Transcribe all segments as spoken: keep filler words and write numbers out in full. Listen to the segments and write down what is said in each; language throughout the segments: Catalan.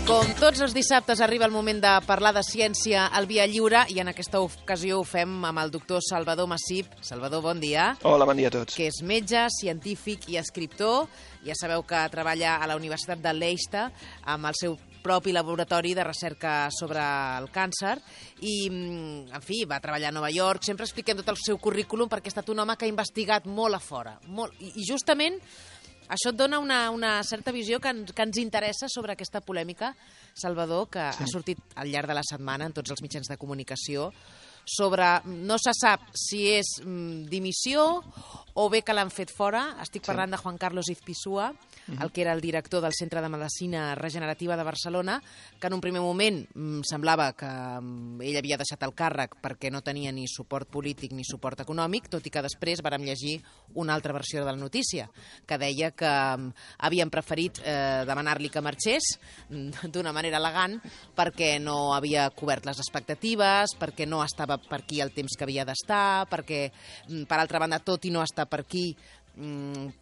Com tots els dissabtes arriba el moment de parlar de ciència al Via Lliure i en aquesta ocasió ho fem amb el doctor Salvador Massip. Salvador, bon dia. Hola, bon dia a tots. Que és metge, científic i escriptor. Ja sabeu que treballa a la Universitat de Leicester amb el seu propi laboratori de recerca sobre el càncer i, en fi, va treballar a Nova York. Sempre expliquem tot el seu currículum perquè ha estat un home que ha investigat molt a fora. Molt, i, I justament això et dona una, una certa visió que, en, que ens interessa sobre aquesta polèmica, Salvador, que sí. ha sortit al llarg de la setmana en tots els mitjans de comunicació, sobre, no se sap si és mm, dimissió o bé que l'han fet fora. Estic sí. parlant de Juan Carlos Izpisua, mm-hmm. el que era el director del Centre de Medicina Regenerativa de Barcelona, que en un primer moment mm, semblava que mm, ell havia deixat el càrrec perquè no tenia ni suport polític ni suport econòmic, tot i que després vàrem llegir una altra versió de la notícia, que deia que mm, havien preferit eh, demanar-li que marxés mm, d'una manera elegant perquè no havia cobert les expectatives, perquè no estava per aquí el temps que havia d'estar, perquè, mm, per altra banda, tot i no estar per aquí,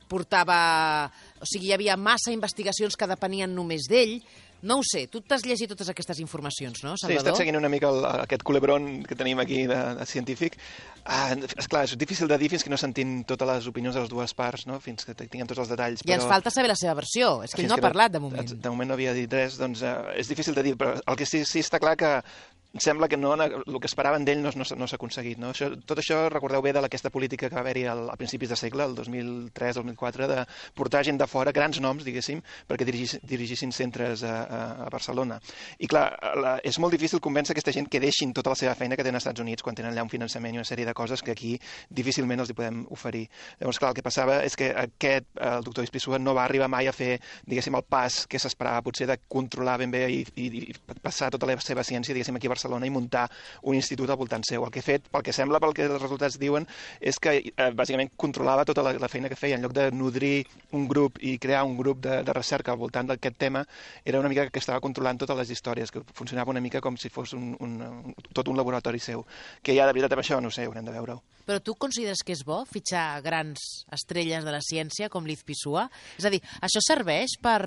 portava... O sigui, hi havia massa investigacions que depenien només d'ell. No ho sé, tu t'has llegit totes aquestes informacions, no, Salvador? Sí, he estat seguint una mica el, aquest culebron que tenim aquí de, de científic. Ah, esclar, és difícil de dir fins que no sentim totes les opinions de les dues parts, no? Fins que tinguem tots els detalls. I però... ens falta saber la seva versió, és que ell no ha parlat de moment. De moment no havia dit res, doncs eh, és difícil de dir, però el que sí, sí està clar que sembla que no, el que esperaven d'ell no, no, no s'ha aconseguit. No? Això, tot això recordeu bé d'aquesta política que va haver-hi al, a principis de segle, el dos mil tres dos mil quatre, de portar gent de fora, grans noms, diguéssim, perquè dirigis, dirigissin centres a, a, a Barcelona. I clar, la, és molt difícil convèncer aquesta gent que deixin tota la seva feina que tenen als Estats Units quan tenen allà un finançament i una sèrie de coses que aquí difícilment els hi podem oferir. Llavors, clar, el que passava és que aquest, el doctor Izpisua, no va arribar mai a fer, diguéssim, el pas que s'esperava, potser de controlar ben bé i, i, i passar tota la seva ciència, diguéssim, aquí a Barcelona i muntar un institut al voltant seu. El que he fet, pel que sembla, pel que els resultats diuen, és que eh, bàsicament controlava tota la, la feina que feia. En lloc de nodrir un grup i crear un grup de, de recerca al voltant d'aquest tema, era una mica que estava controlant totes les històries, que funcionava una mica com si fos un, un, un, tot un laboratori seu. Que ja de veritat amb això, no sé, haurem de veure-ho. Però tu consideres que és bo fitxar grans estrelles de la ciència com l'Izpisua? És a dir, això serveix per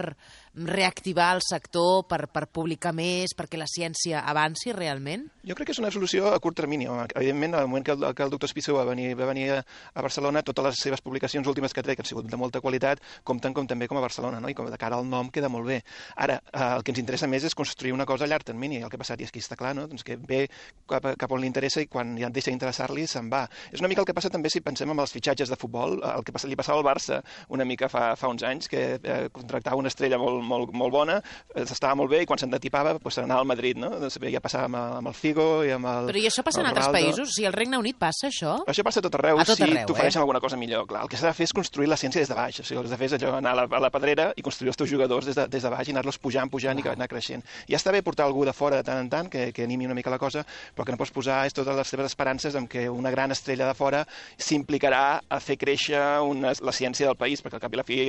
reactivar el sector, per, per publicar més, perquè la ciència avanci realment? Jo crec que és una solució a curt termini. Evidentment, al moment que el, que el doctor Izpisua va venir, va venir a, a Barcelona, totes les seves publicacions últimes que ha tret, que han sigut de molta qualitat, compten com també com a Barcelona, no? I com de cara al nom queda molt bé. Ara, eh, el que ens interessa més és construir una cosa a llarg termini. El que ha passat, i aquí està clar, no? Doncs que ve cap, cap on li interessa i quan ja deixa d'interessar-li se'n va. És una mica el que passa també si pensem en els fitxatges de futbol, el que li passava al Barça una mica fa, fa uns anys, que eh, contractava una estrella molt, molt, molt bona, eh, estava molt bé i quan se'n detipava pues, se n'anava al Madrid, no? Doncs, ja passava amb, amb el Figo i amb el... Però i això passa en altres països? O sigui, al Regne Unit passa això? Això passa a tot arreu, a tot si arreu, t'ofereixen eh? alguna cosa millor. Clar, el que s'ha de fer és construir la ciència des de baix. O sigui, el que s'ha de fer és allò, anar a la, a la pedrera i construir els teus jugadors des de, des de baix i anar-los pujant, pujant wow. i anar creixent. Ja està bé portar algú de fora de tant en tant que, que animi una mica la cosa, però que no pots posar és totes les teves esperances en que una gran estrella de fora s'implicarà a fer créixer una, la ciència del país, perquè al cap i la fi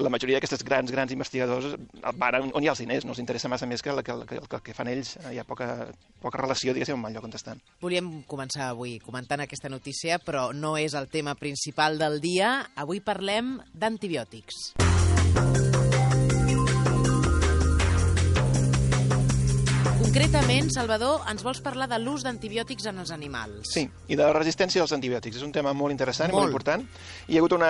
la majoria d'aquestes grans, grans investigadors van on hi ha els diners, no els interessa massa més que el que, que, que, que fan ells, hi ha poca, poca relació, diguéssim, amb el lloc on estan. Volíem començar avui comentant aquesta notícia, però no és el tema principal del dia. Avui parlem d'antibiòtics. Concretament, Salvador, ens vols parlar de l'ús d'antibiòtics en els animals. Sí, i de la resistència als antibiòtics. És un tema molt interessant molt. i molt important. I hi ha hagut una,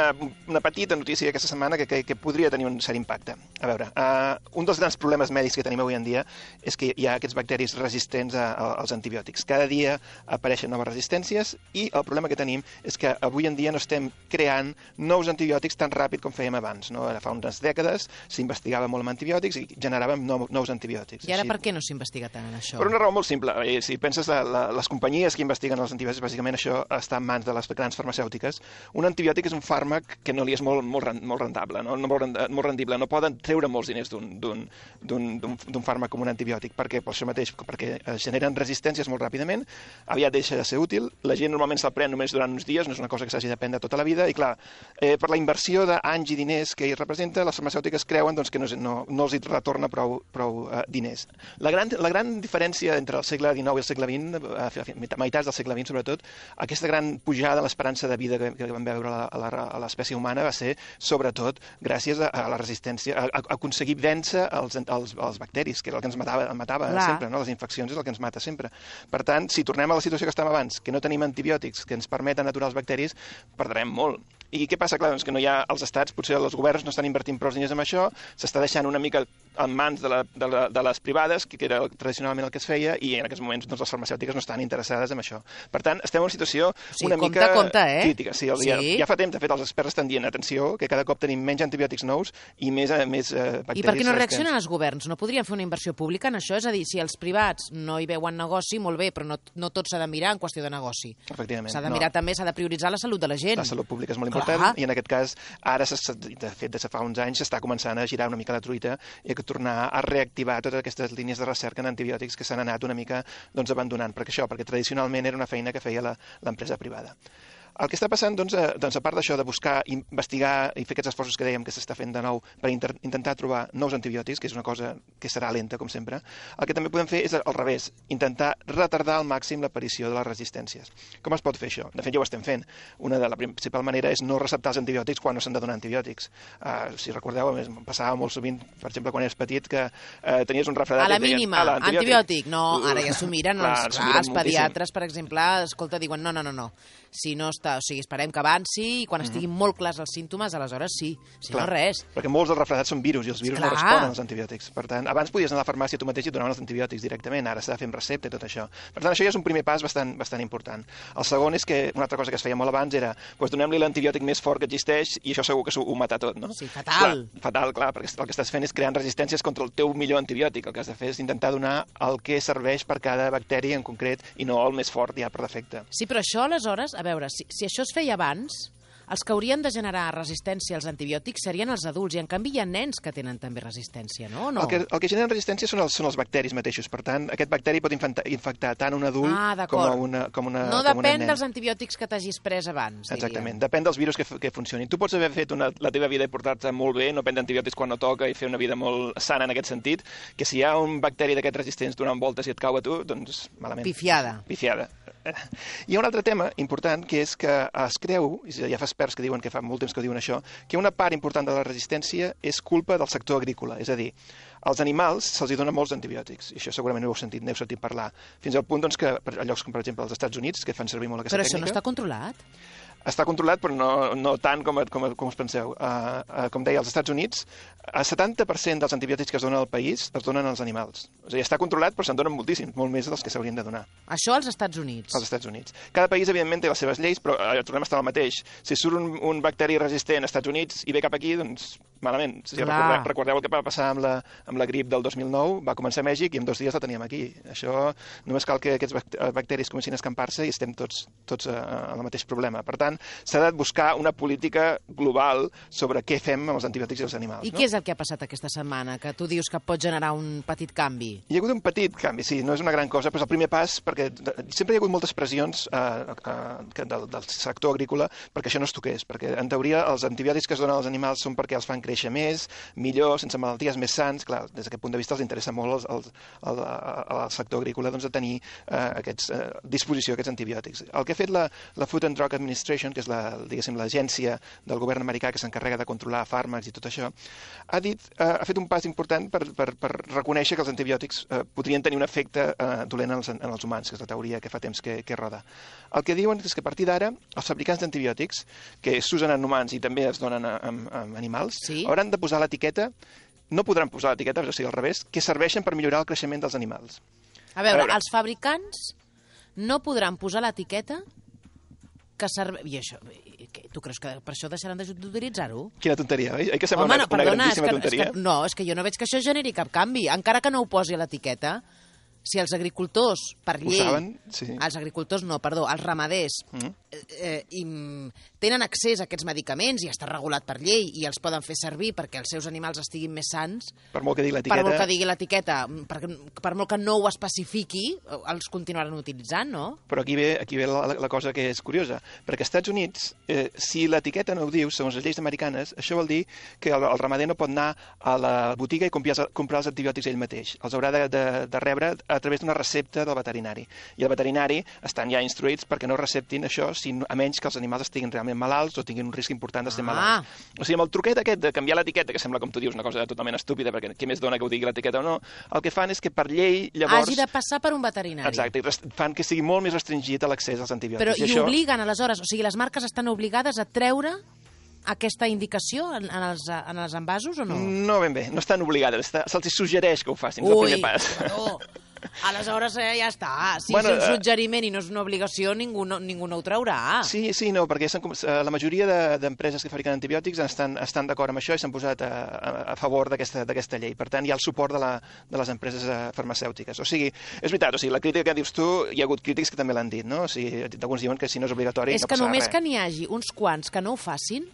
una petita notícia aquesta setmana que, que, que podria tenir un cert impacte. A veure, uh, un dels grans problemes mèdics que tenim avui en dia és que hi ha aquests bacteris resistents a, a, als antibiòtics. Cada dia apareixen noves resistències i el problema que tenim és que avui en dia no estem creant nous antibiòtics tan ràpid com fèiem abans. No? Ara fa unes dècades s'investigava molt amb antibiòtics i generàvem nou, nous antibiòtics. I ara Així... per què no s'investiga tant en això? Per una raó molt simple. Si penses la, la, les companyies que investiguen els antibiòtics, bàsicament això està en mans de les grans farmacèutiques. Un antibiòtic és un fàrmac que no li és molt, molt, molt rentable, no? molt, molt rendible. No poden treure molts diners d'un fàrmac com un antibiòtic, perquè per això mateix, perquè generen resistències molt ràpidament, aviat deixa de ser útil, la gent normalment se'l pren només durant uns dies, no és una cosa que s'hagi de prendre tota la vida, i clar, eh, per la inversió d'anys i diners que hi representa, les farmacèutiques creuen doncs, que no, no, no els hi retorna prou, prou uh, diners. La gran, la gran gran diferència entre el segle dinou i el segle vint, a meitats del segle vint sobretot, aquesta gran pujada a l'esperança de vida que, que vam veure a l'espècie humana va ser sobretot gràcies a, a la resistència, a, a aconseguir vèncer els, els, els bacteris, que era el que ens matava, matava sempre, no? Les infeccions és el que ens mata sempre. Per tant, si tornem a la situació que estàvem abans, que no tenim antibiòtics que ens permeten aturar els bacteris, perdrem molt. I què passa? Clar, doncs que no hi ha els estats, potser els governs no estan invertint prou diners en això, s'està deixant una mica en mans de, la, de, la, de les privades, que era tradicionalment el que es feia, i en aquests moments doncs, les farmacèutiques no estan interessades en això. Per tant, estem en una situació sí, una compte, mica compte, eh? crítica. Sí, sí. Ja, ja fa temps, de fet, els experts estan dient, atenció, que cada cop tenim menys antibiòtics nous i més, més eh, bacteris. I per què no reaccionen els governs? No podrien fer una inversió pública en això? És a dir, si els privats no hi veuen negoci, molt bé, però no, no tot s'ha de mirar en qüestió de negoci. Efectivament. S'ha de mirar no. també, s'ha de prioritzar la salut de la gent. La salut pública és molt Clar. important i en aquest cas ara, de fet, des de fa uns anys s'està començant a girar una mica la truita i a tornar a reactivar totes aquestes línies de recerca en antibiòtics que s'han anat una mica doncs, abandonant. Perquè això, perquè tradicionalment era una feina que feia l'empresa privada. El que està passant, doncs, a, doncs, a part d'això de buscar, investigar i fer aquests esforços que dèiem que s'està fent de nou per inter intentar trobar nous antibiòtics, que és una cosa que serà lenta, com sempre, el que també podem fer és al revés, intentar retardar al màxim l'aparició de les resistències. Com es pot fer això? De fet, ja ho estem fent. Una de la principal manera és no receptar els antibiòtics quan no s'han de donar antibiòtics. Uh, si recordeu, passava molt sovint, per exemple, quan eres petit, que uh, tenies un refredat... A la mínima, deien, ah, antibiòtic. No, ara ja s'ho miren, clar, els, clar, els pediatres, per exemple, escolta, diuen no, no, no, no. Si no està, o sigui, esperem que avanci i quan estiguin molt clars els símptomes, aleshores sí, si clar, no res. Perquè molts dels refredats són virus i els virus clar. no responen als antibiòtics. Per tant, abans podies anar a la farmàcia tu mateix i et donaven els antibiòtics directament, ara s'ha de fer amb recepta i tot això. Per tant, això ja és un primer pas bastant, bastant important. El segon és que una altra cosa que es feia molt abans era doncs donem-li l'antibiòtic més fort que existeix i això segur que ho mata tot, no? Sí, fatal. Clar, fatal, clar, perquè el que estàs fent és creant resistències contra el teu millor antibiòtic. El que has de fer és intentar donar el que serveix per cada bacteri en concret i no el més fort ja per defecte. Sí, però això aleshores, a veure, si, si això es feia abans, els que haurien de generar resistència als antibiòtics serien els adults, i en canvi hi ha nens que tenen també resistència, no? no? El, que, el que generen resistència són els, són els bacteris mateixos, per tant, aquest bacteri pot infectar, infectar tant un adult ah, com, a una, com una no com depèn una nen. dels antibiòtics que t'hagis pres abans, exactament, diria. Depèn dels virus que, que funcionin. Tu pots haver fet una, la teva vida i portar-te molt bé, no prendre antibiòtics quan no toca i fer una vida molt sana en aquest sentit, que si hi ha un bacteri d'aquests resistents donant voltes i et cau a tu, doncs malament. Pifiada. Pifiada. Hi ha un altre tema important, que és que es creu, i ja fa experts que diuen que fa molt temps que diuen això, que una part important de la resistència és culpa del sector agrícola, és a dir, als animals se'ls donen molts antibiòtics, i això segurament ho heu sentit, n'heu sentit parlar, fins al punt doncs, que a llocs com per exemple els Estats Units, que fan servir molt aquesta Però tècnica... Però això no està controlat? Està controlat, però no, no tant com, com, com us penseu. Uh, uh, com deia, als Estats Units, el setanta per cent dels antibiòtics que es donen al país es donen als animals. O sigui, està controlat, però se'n donen moltíssims, molt més dels que s'haurien de donar. Això als Estats Units? Als Estats Units. Cada país, evidentment, té les seves lleis, però eh, tornem a estar al mateix. Si surt un, un bacteri resistent als Estats Units i ve cap aquí, doncs malament. Si recordeu, recordeu el que va passar amb la, amb la grip del dos mil nou, va començar a Mèxic i en dos dies la teníem aquí. Això només cal que aquests bacteris comencin a escampar-se i estem tots, tots en el mateix problema. Per tant, s'ha de buscar una política global sobre què fem amb els antibiòtics i els animals. I no? què és el que ha passat aquesta setmana, que tu dius que pot generar un petit canvi? Hi ha hagut un petit canvi, sí, no és una gran cosa, però és el primer pas, perquè sempre hi ha hagut moltes pressions eh, eh, del, del sector agrícola perquè això no es toqués, perquè en teoria els antibiòtics que es donen als animals són perquè els fan créixer més, millor, sense malalties, més sants. Clar, des d'aquest punt de vista els interessa molt als, als, al, al sector agrícola doncs, de tenir eh, aquests, eh, disposició a aquests antibiòtics. El que ha fet la, la Food and Drug Administration, que és la, diguéssim, l'agència del govern americà que s'encarrega de controlar fàrmacs i tot això, ha, dit, eh, ha fet un pas important per, per, per reconèixer que els antibiòtics eh, podrien tenir un efecte eh, dolent en els, en els humans, que és la teoria que fa temps que, que roda. El que diuen és que a partir d'ara els fabricants d'antibiòtics, que s'usen en humans i també es donen a, a, a animals, sí? hauran de posar l'etiqueta, no podran posar l'etiqueta, o sigui, al revés, que serveixen per millorar el creixement dels animals. A veure, a veure, els fabricants no podran posar l'etiqueta que serveix... I això, tu creus que per això deixaran d'utilitzar-ho? Quina tonteria, oi? Oi que sembla Home, una, no, perdona, una grandíssima és que, tonteria? És que, no, és que jo no veig que això generi cap canvi. Encara que no ho posi a l'etiqueta, si els agricultors, per llei... Ho saben, sí. Els agricultors no, perdó, els ramaders mm. eh, i, tenen accés a aquests medicaments i està regulat per llei i els poden fer servir perquè els seus animals estiguin més sants. Per molt que digui l'etiqueta... Per molt que digui l'etiqueta, per, per molt que no ho especifiqui, els continuaran utilitzant, no? Però aquí ve, aquí ve la, la cosa que és curiosa, perquè als Estats Units, eh, si l'etiqueta no ho diu, segons les lleis americanes, això vol dir que el, el ramader no pot anar a la botiga i comprar, comprar els antibiòtics ell mateix. Els haurà de, de, de rebre a través d'una recepta del veterinari. I el veterinari estan ja instruïts perquè no receptin això, si, a menys que els animals estiguin realment malalts o tinguin un risc important d'estar Ah. malalts. O sigui, amb el truquet aquest de canviar l'etiqueta, que sembla, com tu dius, una cosa totalment estúpida, perquè què més dona que ho digui l'etiqueta o no, el que fan és que per llei, llavors... Hagi de passar per un veterinari. Exacte, i rest- fan que sigui molt més restringit l'accés als antibiòtics. Però I i això... obliguen, aleshores, o sigui, les marques estan obligades a treure aquesta indicació en, en, els, en els envasos o no? No ben bé, no estan obligades, està, se'ls suggereix que ho facin, és el primer pas. no. Aleshores eh, ja està. Si Bueno, és un eh, suggeriment i no és una obligació, ningú no, ningú no ho traurà. Sí, sí, no, perquè s'han com- eh, la majoria de- d'empreses que fabriquen antibiòtics estan, estan d'acord amb això i s'han posat a, a, a favor d'aquesta d'aquesta llei. Per tant, hi ha el suport de, la, de les empreses eh, farmacèutiques. O sigui, és veritat, o sigui, la crítica que dius tu, hi ha hagut crítics que també l'han dit, no? O sigui, alguns diuen que si no és obligatori És no que passarà només res. que n'hi hagi uns quants que no ho facin,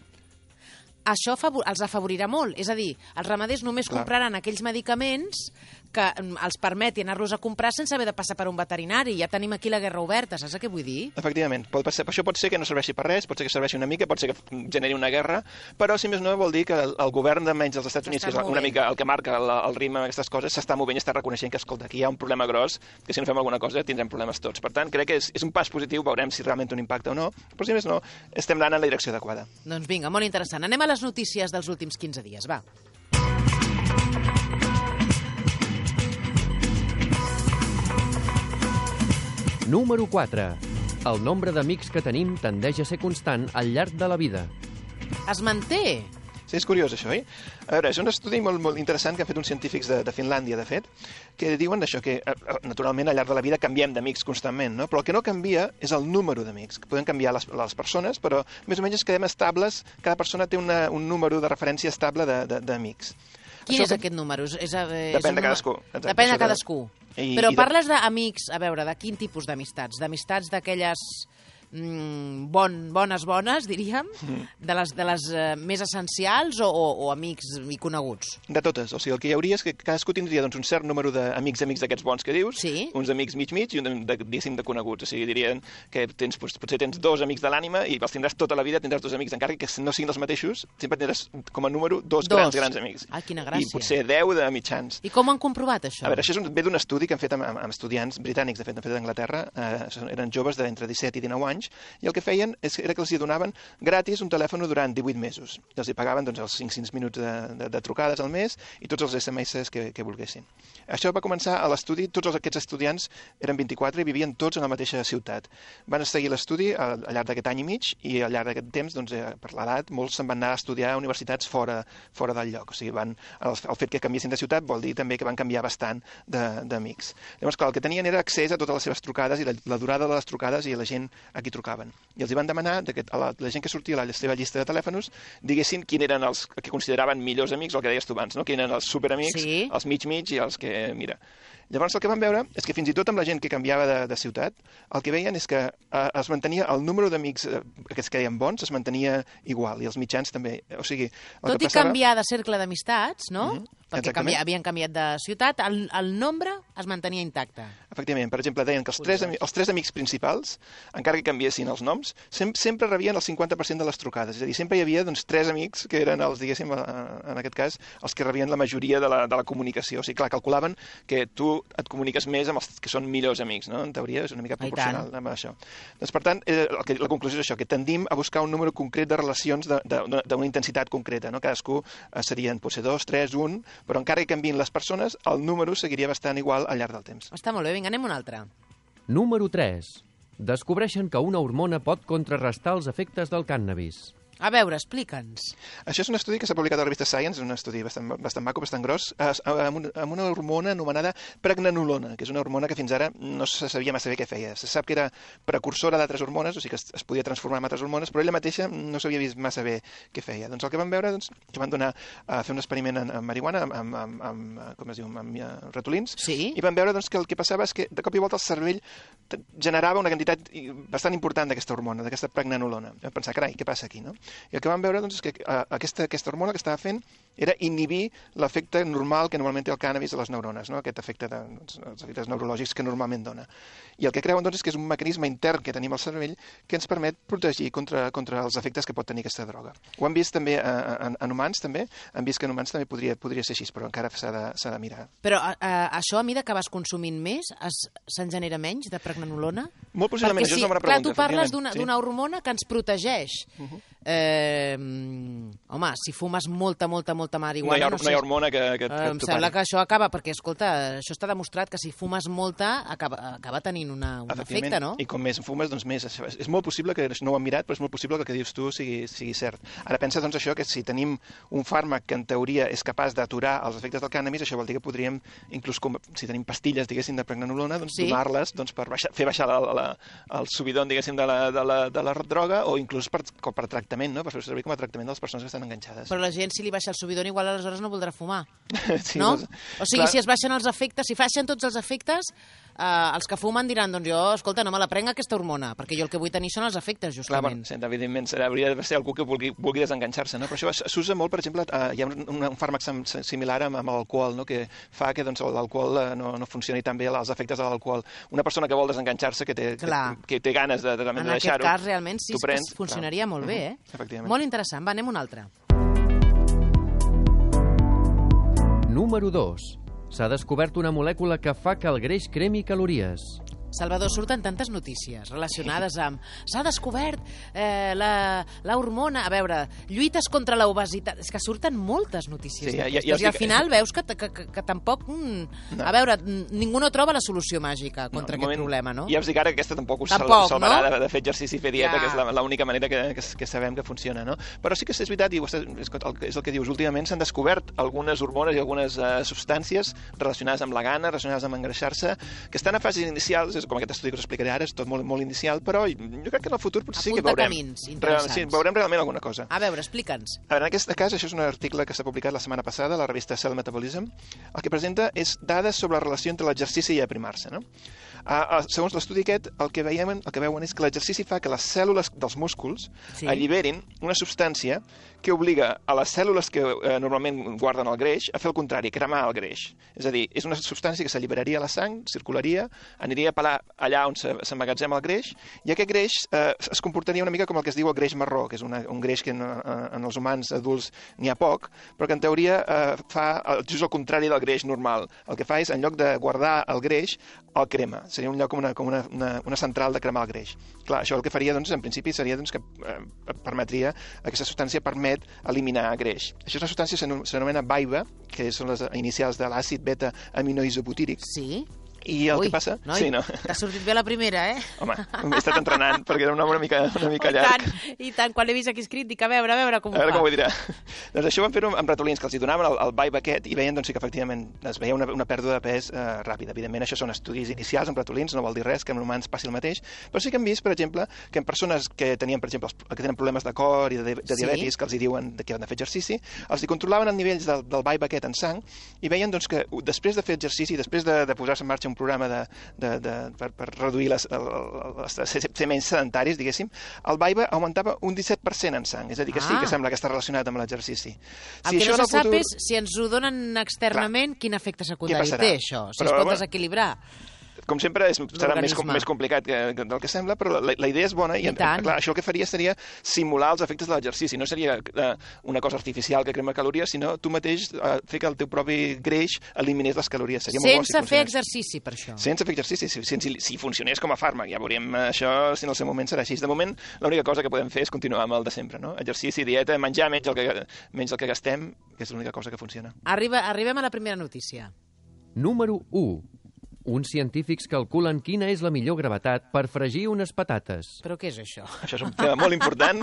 això favor, els afavorirà molt. És a dir, els ramaders només Clar. compraran aquells medicaments que mm, els permeti anar-los a comprar sense haver de passar per un veterinari. Ja tenim aquí la guerra oberta, saps què vull dir? Efectivament, pot, ser, això pot ser que no serveixi per res, pot ser que serveixi una mica, pot ser que generi una guerra, però si més no vol dir que el, el govern de menys dels Estats Units, que és S'està una movent. mica el que marca el, el ritme d'aquestes coses, s'està movent i està reconeixent que, escolta, aquí hi ha un problema gros, que si no fem alguna cosa tindrem problemes tots. Per tant, crec que és, és un pas positiu, veurem si realment té un impacte o no, però si més no, estem anant en la direcció adequada. Doncs vinga, molt interessant. Anem a les notícies dels últims quinze dies, va. Número quatre. El nombre d'amics que tenim tendeix a ser constant al llarg de la vida. Es manté. Sí, és curiós això, oi? A veure, és un estudi molt, molt interessant que han fet uns científics de, de Finlàndia, de fet, que diuen això, que eh, naturalment al llarg de la vida canviem d'amics constantment, no? Però el que no canvia és el número d'amics, que podem canviar les, les persones, però més o menys quedem estables, cada persona té una, un número de referència estable de- de- d'amics. Quin Això és que- aquest número? És, és, és Depèn un de cadascú. número- Exacte, Depèn de això de- cadascú. I- Però i de- parles d'amics, a veure, de quin tipus d'amistats? D'amistats d'aquelles mm, bon, bones, bones, diríem? Mm. De les, de les eh, més essencials o, o, o amics i coneguts? De totes. O sigui, el que hi hauria és que cadascú tindria doncs, un cert número d'amics amics d'aquests bons que dius, Sí. uns amics mig-mig i un de, de, diguéssim, de coneguts. O sigui, dirien que tens, doncs, potser tens dos amics de l'ànima i els tindràs tota la vida, tindràs dos amics, encara que no siguin els mateixos, sempre tindràs com a número dos, Dos. grans, grans amics. Ah, quina I gràcia. potser deu de mitjans. I com han comprovat això? A veure, això és un, ve d'un estudi que han fet amb, amb, amb estudiants britànics, de fet, han fet d'Anglaterra, eh, són- eren joves d'entre disset i dinou anys, i el que feien és, era que els hi donaven gratis un telèfon durant divuit mesos. I els hi pagaven doncs, els cinc-cents minuts de, de, de trucades al mes i tots els esse eme esse que, que volguessin. Això va començar a l'estudi, tots els, aquests estudiants eren vint-i-quatre i vivien tots en la mateixa ciutat. Van seguir l'estudi al, al llarg d'aquest any i mig i al llarg d'aquest temps, doncs, eh, per l'edat, molts se'n van anar a estudiar a universitats fora, fora del lloc. O sigui, van, el, el fet que canviessin de ciutat vol dir també que van canviar bastant de- d'amics. Llavors, clar, el que tenien era accés a totes les seves trucades i la, la durada de les trucades i a la gent a qui trucaven. I els hi van demanar que a la, la gent que sortia a la seva llista de telèfons diguessin quin eren els que consideraven millors amics, o el que deies tu abans, no? Quin eren els superamics, Sí. els mig-mig i els que, mira... Llavors el que van veure és que fins i tot amb la gent que canviava de, de ciutat, el que veien és que eh, es mantenia el número d'amics, eh, aquests que deien bons, es mantenia igual, i els mitjans també. O sigui, el Tot que i passava... canviar de cercle d'amistats, no? Mhm, Perquè exactament. canvia, havien canviat de ciutat, el, el nombre es mantenia intacte. Efectivament, per exemple, deien que els tres, ami- els tres amics principals, encara que canviessin els noms, sem sempre rebien el cinquanta per cent de les trucades. És a dir, sempre hi havia doncs, tres amics que eren els, diguéssim, eh, en aquest cas, els que rebien la majoria de la, de la comunicació. O sigui, clar, calculaven que tu et comuniques més amb els que són millors amics, no? En teoria és una mica I proporcional tant. amb això. Doncs, per tant, eh, el que, la conclusió és això, que tendim a buscar un número concret de relacions de- de- de- d'una intensitat concreta. No? Cadascú eh, serien potser dos, tres, un, però encara que canviïn les persones, el número seguiria bastant igual al llarg del temps. Està molt bé, vinga, anem a un altre. Número tres. Descobreixen que una hormona pot contrarrestar els efectes del cànnabis. A veure, explica'ns. Això és un estudi que s'ha publicat a la revista Science, un estudi bastant, bastant maco, bastant gros, eh, amb, un, amb una hormona anomenada pregnenolona, que és una hormona que fins ara no se sabia massa bé què feia. Se sap que era precursora d'altres hormones, o sigui que es, es podia transformar en altres hormones, però ella mateixa no s'havia vist massa bé què feia. Doncs el que van veure, doncs, que van donar a fer un experiment en, en marihuana, amb, amb, amb, amb, com es diu, amb, amb uh, ratolins, Sí? i van veure doncs, que el que passava és que de cop i volta el cervell t- generava una quantitat i- bastant important d'aquesta hormona, d'aquesta pregnenolona. Vam pensar, carai, què passa aquí, no? I el que vam veure doncs, és que uh, aquesta, aquesta hormona que estava fent era inhibir l'efecte normal que normalment té el cànnabis a les neurones, no? Aquest efecte de, doncs, els efectes neurològics que normalment dona. I el que creuen doncs, és que és un mecanisme intern que tenim al cervell que ens permet protegir contra, contra els efectes que pot tenir aquesta droga. Ho han vist també uh, en, en humans, també. Han vist que en humans també podria, podria ser així, però encara s'ha de, s'ha de mirar. Però uh, això, a mesura que vas consumint més, se'n genera menys de pregnenolona? Molt possiblement, perquè això si, és una bona clar, pregunta. tu parles d'una sí. hormona que ens protegeix. Uh -huh. eh, home, si fumes molta, molta, molta marihuana... No hi ha, no sé, no hi ha hormona que, que, eh, que em sembla que això acaba, perquè, escolta, això està demostrat que si fumes molta acaba, acaba tenint una, un efecte, no? I com més fumes, doncs més. És, és molt possible que, no ho hem mirat, però és molt possible que el que dius tu sigui, sigui cert. Ara pensa, doncs, això, que si tenim un fàrmac que en teoria és capaç d'aturar els efectes del cànnabis, això vol dir que podríem, inclús com, si tenim pastilles, diguéssim, de pregnenolona, doncs sí. donar-les doncs, per baixar, fer baixar la, la, el subidon, diguéssim, de la, de, la, de la droga, o inclús per, per tractament, no? Per fer servir com a tractament de les persones que estan enganxades. Però la gent, si li baixa el subidon, igual aleshores no voldrà fumar, sí, no? Doncs, o sigui, clar, si es baixen els efectes, si baixen tots els efectes, eh, els que fumen diran, doncs jo, escolta, no me la prenc aquesta hormona, perquè jo el que vull tenir són els efectes, justament. Clar, bueno, evidentment, hauria de ser algú que vulgui, vulgui desenganxar-se, no? Però això s'usa molt, per exemple, eh, hi ha un, un fàrmac similar amb, amb l'alcohol, no? Que fa que doncs, l'alcohol eh, no, no funcioni tan bé, els efectes de l'alcohol. Una persona que vol desenganxar-se, que té, que, que té ganes de, de, de deixar-ho... En aquest cas, realment, sí, prens, que funcionaria clar. Molt bé, eh? Efectivament. Molt interessant. Va, anem un altre. Número dos. S'ha descobert una molècula que fa que el greix cremi calories. Salvador, surten tantes notícies relacionades amb... S'ha descobert eh, la, la hormona... A veure, lluites contra l'obesitat... És que surten moltes notícies sí, d'aquestes. Ja, ja, ja I al final veus que, que, que, que tampoc... Mm, no. A veure, ningú no troba la solució màgica contra no, aquest moment, problema, no? Ja us dic ara que aquesta tampoc us tampoc, salvarà no? de, de fer exercici i fer dieta, ja. Que és l'única manera que, que, que sabem que funciona, no? Però sí que és veritat, i és el, és el que dius, últimament s'han descobert algunes hormones i algunes uh, substàncies relacionades amb la gana, relacionades amb engreixar-se, que estan a fases inicials, és com aquest estudi que us explicaré ara, és tot molt, molt inicial, però jo crec que en el futur potser sí que veurem. Camins Real, sí, veurem realment alguna cosa. A veure, explica'ns. A veure, en aquest cas, això és un article que s'ha publicat la setmana passada a la revista Cell Metabolism. El que presenta és dades sobre la relació entre l'exercici i aprimar-se, no? Uh, segons l'estudi aquest, el que, veiem, el que veuen és que l'exercici fa que les cèl·lules dels músculs sí. alliberin una substància que obliga a les cèl·lules que eh, normalment guarden el greix a fer el contrari, cremar el greix. És a dir, és una substància que s'alliberaria a la sang, circularia, aniria a parar allà on s'emmagatzema el greix, i aquest greix eh, es comportaria una mica com el que es diu el greix marró, que és una, un greix que en, en els humans adults n'hi ha poc, però que en teoria eh, fa just el contrari del greix normal. El que fa és, en lloc de guardar el greix, el crema. Seria un lloc com una, com una, una, una central de cremar el greix. Clar, això el que faria, doncs, en principi, seria doncs, que eh, permetria, aquesta substància permet eliminar greix. Això és una substància que s'anomena BAIBA, que són les inicials de l'àcid beta-aminoisobutíric. Sí. I el Ui, que passa... Noi, sí, no? t'ha sortit bé la primera, eh? Home, m'he estat entrenant, perquè era un home una mica, una mica llarg. I tant, i tant, quan l'he vist aquí escrit, dic, a veure, a veure com ho fa. A veure fa. com ho dirà. Doncs això van fer-ho amb ratolins, que els hi donaven el, el vibe aquest, i veien doncs, que efectivament es veia una, una pèrdua de pes eh, ràpida. Evidentment, això són estudis inicials amb ratolins, no vol dir res, que en humans passi el mateix, però sí que hem vist, per exemple, que en persones que tenien, per exemple, que tenen problemes de cor i de, de diabetis, sí. que els hi diuen que han de fer exercici, els hi controlaven els nivells del, del vibe aquest en sang, i veien doncs, que després de fer exercici, després de, de posar-se en marxa un programa de De, de, per, per reduir les, les, les, ser menys sedentaris, diguéssim, el vibe augmentava un disset per cent en sang. És a dir, que ah. sí que sembla que està relacionat amb l'exercici. El si que no se sap futur... és, si ens ho donen externament, clar, quin efecte secundari té això, si Però, es pot bueno, desequilibrar. Com sempre, és, serà més, com, més complicat que, que del que sembla, però la, la idea és bona i, I clar, això el que faria seria simular els efectes de l'exercici. No seria uh, una cosa artificial que crema calories, sinó tu mateix uh, fer que el teu propi greix eliminés les calories. Seria Sense molt bo si fer exercici, per això. Sense fer exercici, si, si, si funcionés com a fàrmac. Ja veuríem això, si en el seu moment serà així. De moment, l'única cosa que podem fer és continuar amb el de sempre, no? Exercici, dieta, menjar menys el que, menys el que gastem, que és l'única cosa que funciona. Arriba, arribem a la primera notícia. Número u. Uns científics calculen quina és la millor gravetat per fregir unes patates. Però què és això? Això és un tema molt important.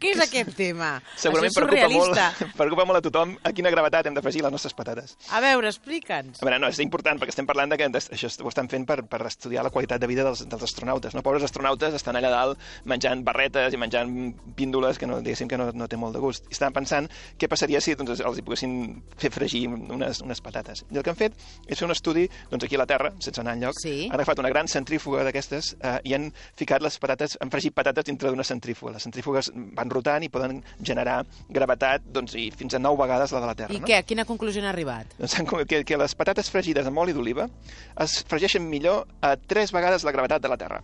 Què és aquest tema? Segurament preocupa molt, preocupa molt a tothom a quina gravetat hem de fregir les nostres patates. A veure, explica'ns. A veure, no, és important perquè estem parlant de que això ho estan fent per, per estudiar la qualitat de vida dels, dels astronautes. No? Pobres astronautes estan allà dalt menjant barretes i menjant píndoles que no, diguéssim que no, no té molt de gust. I estaven pensant què passaria si doncs, els hi poguessin fer fregir unes, unes patates. I el que han fet és fer un estudi doncs, aquí a la Terra Terra, sense anar enlloc, Sí. han agafat una gran centrífuga d'aquestes eh, i han ficat les patates, han fregit patates dintre d'una centrífuga. Les centrífugues van rotant i poden generar gravetat doncs, i fins a nou vegades la de la Terra. I no? què? A quina conclusió han arribat? Doncs que, que les patates fregides amb oli d'oliva es fregeixen millor a tres vegades la gravetat de la Terra.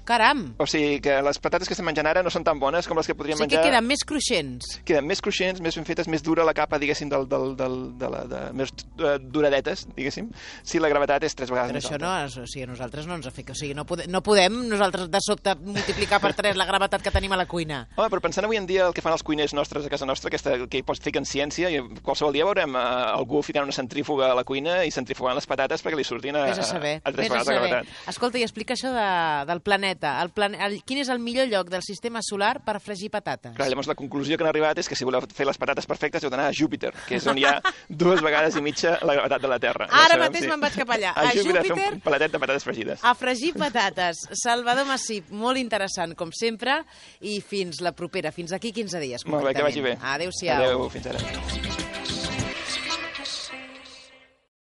Caram! O sigui que les patates que estem menjant ara no són tan bones com les que podríem Sí que menjar. queden més cruixents. Queden més cruixents, més ben fetes, més dura la capa, diguéssim, del, del, del, de la, de, més uh, duradetes, diguéssim, si la gravetat és tres vegades Però més això alta. no, o sigui, a nosaltres no ens afecta. O sigui, no podem, no podem nosaltres de sobte multiplicar per tres la gravetat que tenim a la cuina. Home, però pensant avui en dia el que fan els cuiners nostres a casa nostra, aquesta, que hi pots ficar en ciència, i qualsevol dia veurem uh, algú ficant una centrífuga a la cuina i centrifugant les patates perquè li surtin a, Vés a saber. a tres Vés a vegades la saber. gravetat. Escolta, i explica això de, del planeta. El plan, el, quin és el millor lloc del sistema solar per fregir patates? Clar, llavors la conclusió que han arribat és que si voleu fer les patates perfectes heu d'anar a Júpiter, que és on hi ha dues vegades i mitja la gravetat de la Terra. Ara ja sabem, mateix me'n vaig cap allà. A, A Júpiter, Júpiter, a fer un palatet de patates fregides. a fregir patates. Salvador Massip, molt interessant, com sempre, i fins la propera. Fins aquí quinze dies, Molt bé, que vagi bé. Adéu-siau. Adéu, fins ara.